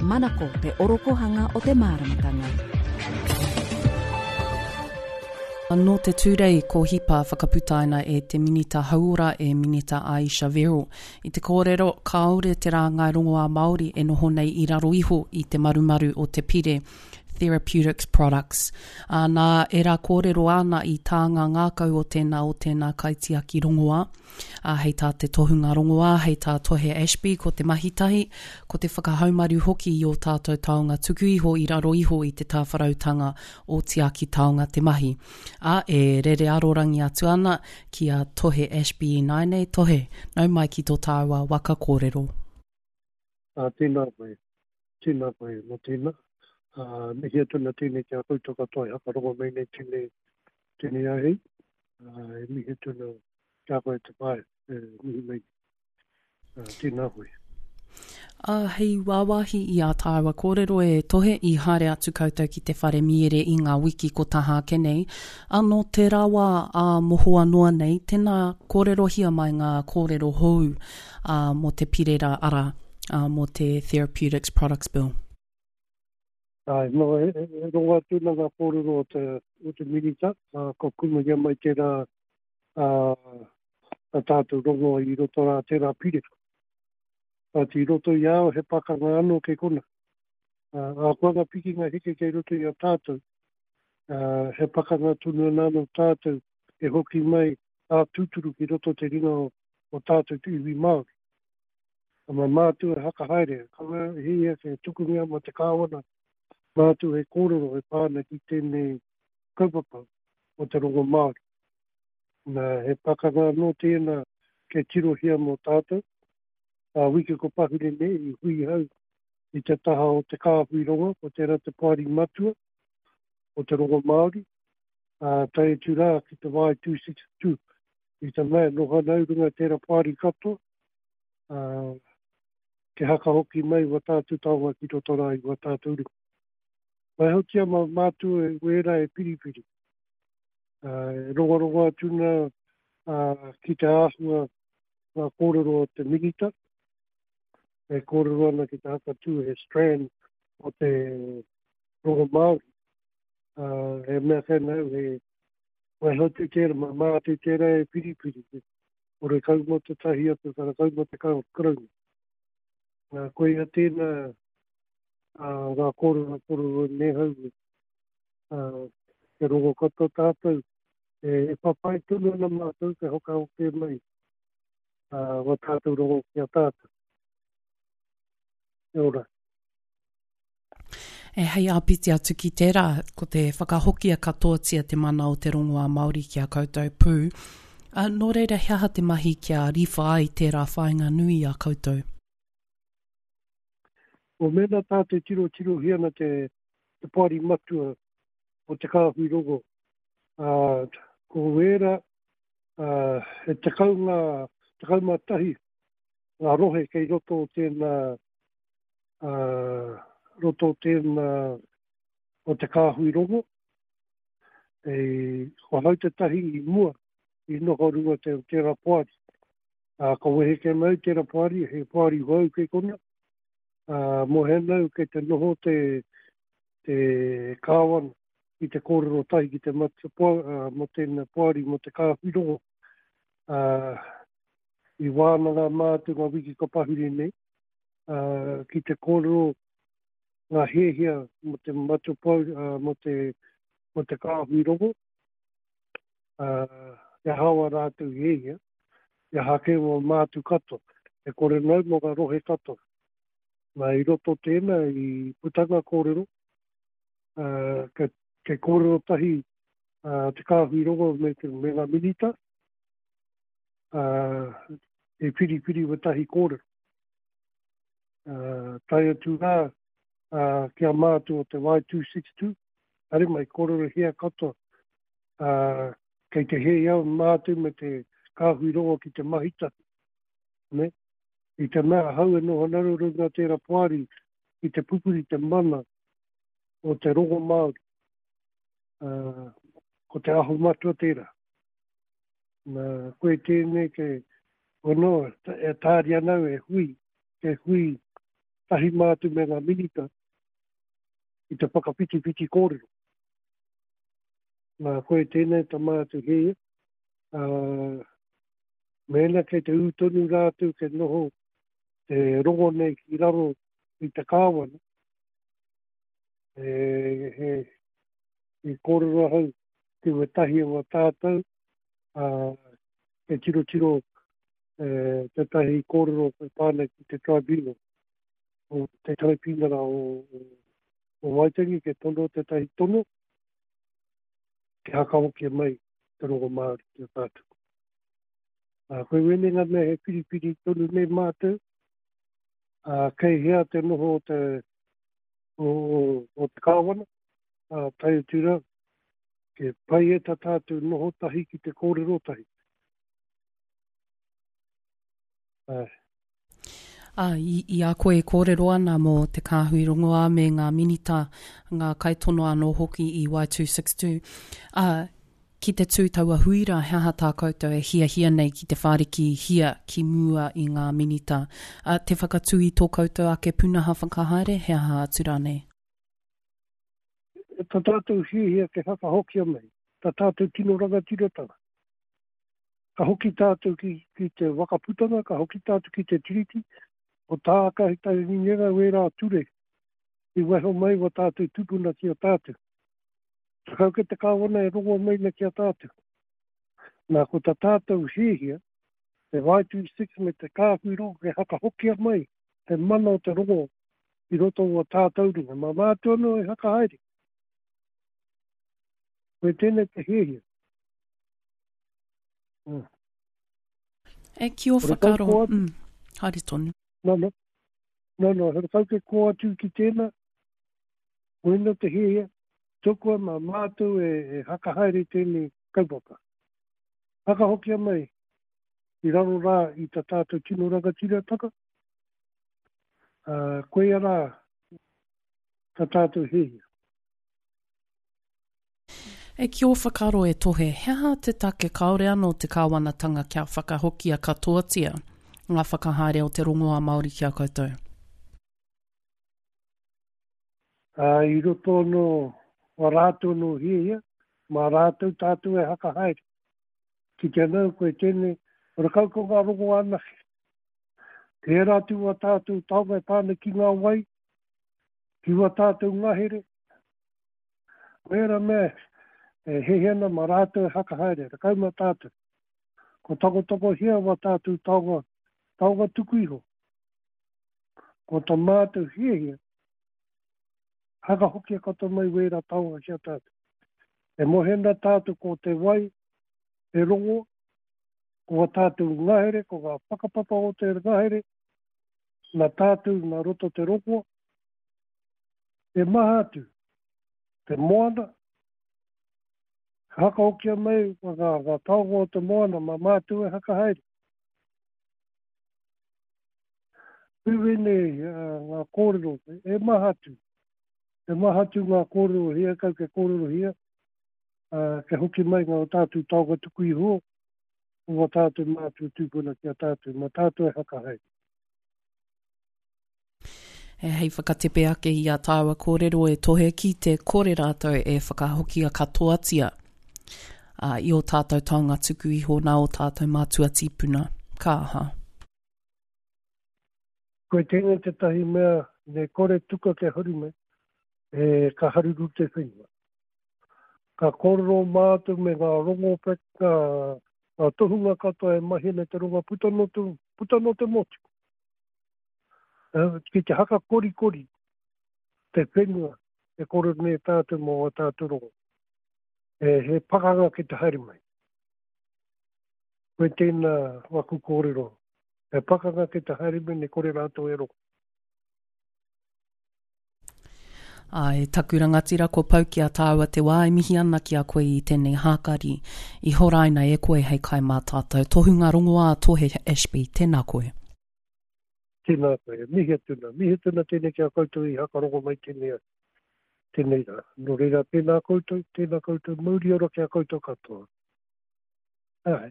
Manako te orokohanga o te māramatanga. Nō te Tūrei ko Hipa whakaputaina e te Minita Hauora e Minita Ayesha Verrall i te kōrero kāore te rāngai rongoā Māori e noho nei i raro iho i te marumaru o te pire Therapeutics Products. Ā, nā ērā kōrero āna i tā ngā ngākau o tēnā o tēnā kaitiaki rongoā. Ā, hei tā te tohunga rongoā, hei tā Tohe Ashby, ko te mahi tahi, ko te whakahaumaru hoki i ō tātou taonga tuku iho i raro iho i te tāwharautanga o Tiaki Taonga te mahi. Ā, e rere arorangi atu ana ki a Tohe Ashby ināianei, Tohe, nau mai ki tō tāua waka kōrero. Ā, tēnā koe, tēnā koe mō tēnā. Ā, mihi atu ana tēnei ki a koutou katoa e hakarongo mai nei tēnei, tēnei āhei. Ā, e mihi atu ana ki a koe te whaea e mihi mai nei. Ā, tēnā koe. Ā, hei wāwāhi i ā tāua kōrero e Tohe i haere atu koutou ki te whare miere i ngā wiki ko taha ake nei. Ā, nō tērā wā ā mohoa noa nei, tēnā kōrerohia mai ngā kōrero hou ā, mō te pire rā, arā, ā, mō te Therapeutics Products Bill. Āe, nō, e, e, e rongo atu ana ngā kōrero o te, o te Minita, ā, ka kumahia mai tērā, ā, a tātou rongo i roto rā tērā pire. Kāti i roto i a au he pakanga anō kei kona. Ā, ahakoa ngā pikinga heke kei roto i a tātou, ā, he pakanga tonu ana anō tātou e hoki mai ā tūturu ki roto te ringa o, o tātou te iwi Māori. A mā mātou e hakahaere, kaua e hia ke tukungia mā te Kāwana, mātou e kōrero e pā ana ki tēnei kaupapa o te rongo Māori. Nā, he pakanga anō tēnā kei tirohia mō tātou. Ā wiki ko pahure nei i hui hau i te taha o te kāhui rongo, ko tērā te poari matua o te rongo Māori, ā, tae atu rā ki te Y262. I te mea e noho ana au runga i tērā poari katoa, ā, ke haka hoki mai wā tātou taonga ki roto rā i wā tātou ringa. Waihotia mā mātou wērā e piripiri. E rongorongo atu na ki te āhua ngā kōrero o te Minita, e kōrero ana ki te hakatū he strand o te rongo Māori. He mea kei nau, he waihotu tērā, mā mātou tērā e piripiri, ore kau mō te tahi atu, karakau mō te Karauna. Koia tēnā ngā kōrero kōrero nei hau, Kia rongo katoa tātou, e papai tonu ana mātou kia whakaoke mai wā tātou rongo ki a tātou. Kia ora. E hei āpiti atu ki tērā, ko te whakahokia katoatia te mana o te rongoā Māori ki a koutou pū. Ā, nō reira he aha te mahi kia riwha ai tērā whāinga nui i a koutou? Ko mēnā tātou tirotirohia ana te te poari matua o Te Kāhui Rongo, ā, ko wērā, ā, he tekau ngā, 11 ngā rohe kei roto o tēnā, ā, roto o tēnā o Te Kāhui Rongo. E, ko ahau tētahi i mua i noho runga te, tērā poari. Ā, ka wehe kē mai tērā poari, he poari hou kei kona, Ā, mō hēnau kei te noho te, te Kāwana i te kōrero tahi ki te matua poa, ā, mō tēnā poari, mō te kāhui rongo. Ā, i wānanga mātou ngā wiki ka pahure nei, ā, ki te kōrero ngā hiahia mō te matua poa, ā, mō te, mō te kāhui rongo, ā, he aha wā rātou hiahia, he aha kē mō mātou katoa, e kore nau mō ngā rohe katoa. Nā, i roto tēnā, i puta ngā kōrero, ā, kei, kei kōrero tahi ā, te kāhui rongo me, te, me ngā minita, ā, e whiriwhiri wētahi kōrero. Ā, tae atu rā ā, ki a mātou o te Y262, haere mai, kōrerohia katoa, ā, kei te hē au mātou me te kāhui rongo ki te mahi tahi, nē? I te mea ahau e noho ana rau runga tērā poari ki te pupuri te mana o te rongo Māori, ā, ko te aho matua tērā. Nā, koe tēnei kei, ono, e tāria ana au e hui, e hui. tahi mātou me ngā minita i te whakawhitiwhiti kōrero. Nā, koe tēnei ta mātou hiahia, ā, mēnā kei te ū tonu rātou kei noho te rongo nei ki raro i te kāwana, e, he, i kōrero ahau ki wētahi o a tātou, ā, e tirotiro e, tētahi kōrero e pā ana ki te tribunal, o te taraipiunara o, o, o Waitangi, ke tono tētahi tono, kia hakahokia mai te rongo Māori ki a tātou. Ā, koe wēnei ngā mea he whiriwhiri tonu nei mātou, ā, kei hea te noho o te, o, o, o te kāwana, ā, tae atu rā, ke pai e tā tātou noho tahi ki te kōrero tahi. Āe. Ā, i, i a koe e kōrero ana mō te kāhui rongoā me ngā minita, ngā kaitono anō hoki i Y262, ā, ki te tū taua hui rā, he aha tā koutou e hiahia nei ki te whārikihia ki mua i ngā minita? Ā, te whakatū i tō koutou ake pūnaha whakahaere, he aha atu rānei? Tā tātou hiahia kia whakahokia mai, tā tātou tino rangatiratanga. Ka hoki tātou ki, ki te Wakaputanga, ka hoki tātou ki te Tiriti, ko tā Kahitanginga wērā ture i waiho mai wa tātou tupuna ki a tātou. Takau ke te kāwana e rongo mai na ki a tātou. Nā, ko tā tātou hiahia, te Y26 me te kāhui rongo ke hakahokia mai te mana o te rongo i roto o tātou ringa. Mā mātou anō e hakahaere. Koe tēnei te hiahia. Mm. E ki o whakaaro, mm, haere tonu. No, no. No, no, he kau ke kō atu ki tēnā, koina te hiahia, tukua mā mātou e, e hakahaere tēnei kaupapa. Hakahokia mai i raro rā i ta tātou tino rangatiratanga, uh, koia rā ta tātou hiahia. E ki ō whakaaro e Tohe, he aha te take kāore anō te kāwanatanga kia whakahokia katoatia ngā whakahaere o te rongoā Māori ki a koutou? Ā, i roto anō wā rātou anō hiahia, mā rātou tātou e hakahaere. Ki te anau koe tēnei, horekau ko ngā rongoā anake. Tērā atu wā tātou taonga e pā ana ki ngā wai, ki wā tātou ngahere, Wera mea e hehe ana ma rātou e hakahaere, 10 ma tātou. Ko takotakohia wa tātou taonga, taonga tuku iho. Ko ta mātou hiahia, hakahokia katoa mai wēra taonga ki a tātou. E mohe ana tātou ko te wai, te rongo, ko wa tātou ngahere, ko ngā whakapapa o te ngahere, na tātou na roto te rongo, E maha atu te moana, ka hakahokia mai ngā, ngā taonga o te moana mā mātou e hakahaere. Wēnei ngā kōrero, e maha atu, e maha atu ngā kōrero hia kau ke kōrerohia, ā, kia hoki mai ngā o tātou taonga tuku iho, o wā tātou mātua tūpuna ki a tātou, mā tātou e hakahaere. E hei whakatepe ake i a tāua kōrero e tohe ki te kore rātou e whakahokia katoatia ā, i ō tātou taonga tuku iho nā ō tātou mātua tīpuna. Ka aha? Koe tēnei tētahi mea me kore tuka kia haru mai, e, ka haruru te whenua. Ka kōrero mātou me ngā rongo, ngā, ngā tohunga katoa e mahi ana te ronga puta no te, puta no te motu. Ki te haka korikori te whenua e kōrero nei tātou mō ā tātou rongo. E, he pakanga ki te haere mai. Koe tēnā waku kōrero. He pakanga ki te haere mai, ne kore rātou e rongo. Āe, taku rangatira kua pau ki a tāua te wā e mihi ana ki a koe i tēnei hākari i horaina e koe hei kai mā tātou. Tohunga rongoā Tohe Ashby, tēnā koe. Tēnā koe, e mihi atu nā. Mihi atu nā tēnei ki a koutou i hakarongo mai tēnei, tēnei rā. Nō reira, tēnā koutou, tēnā koutou, mauri ora ki a koutou katoa. Āe.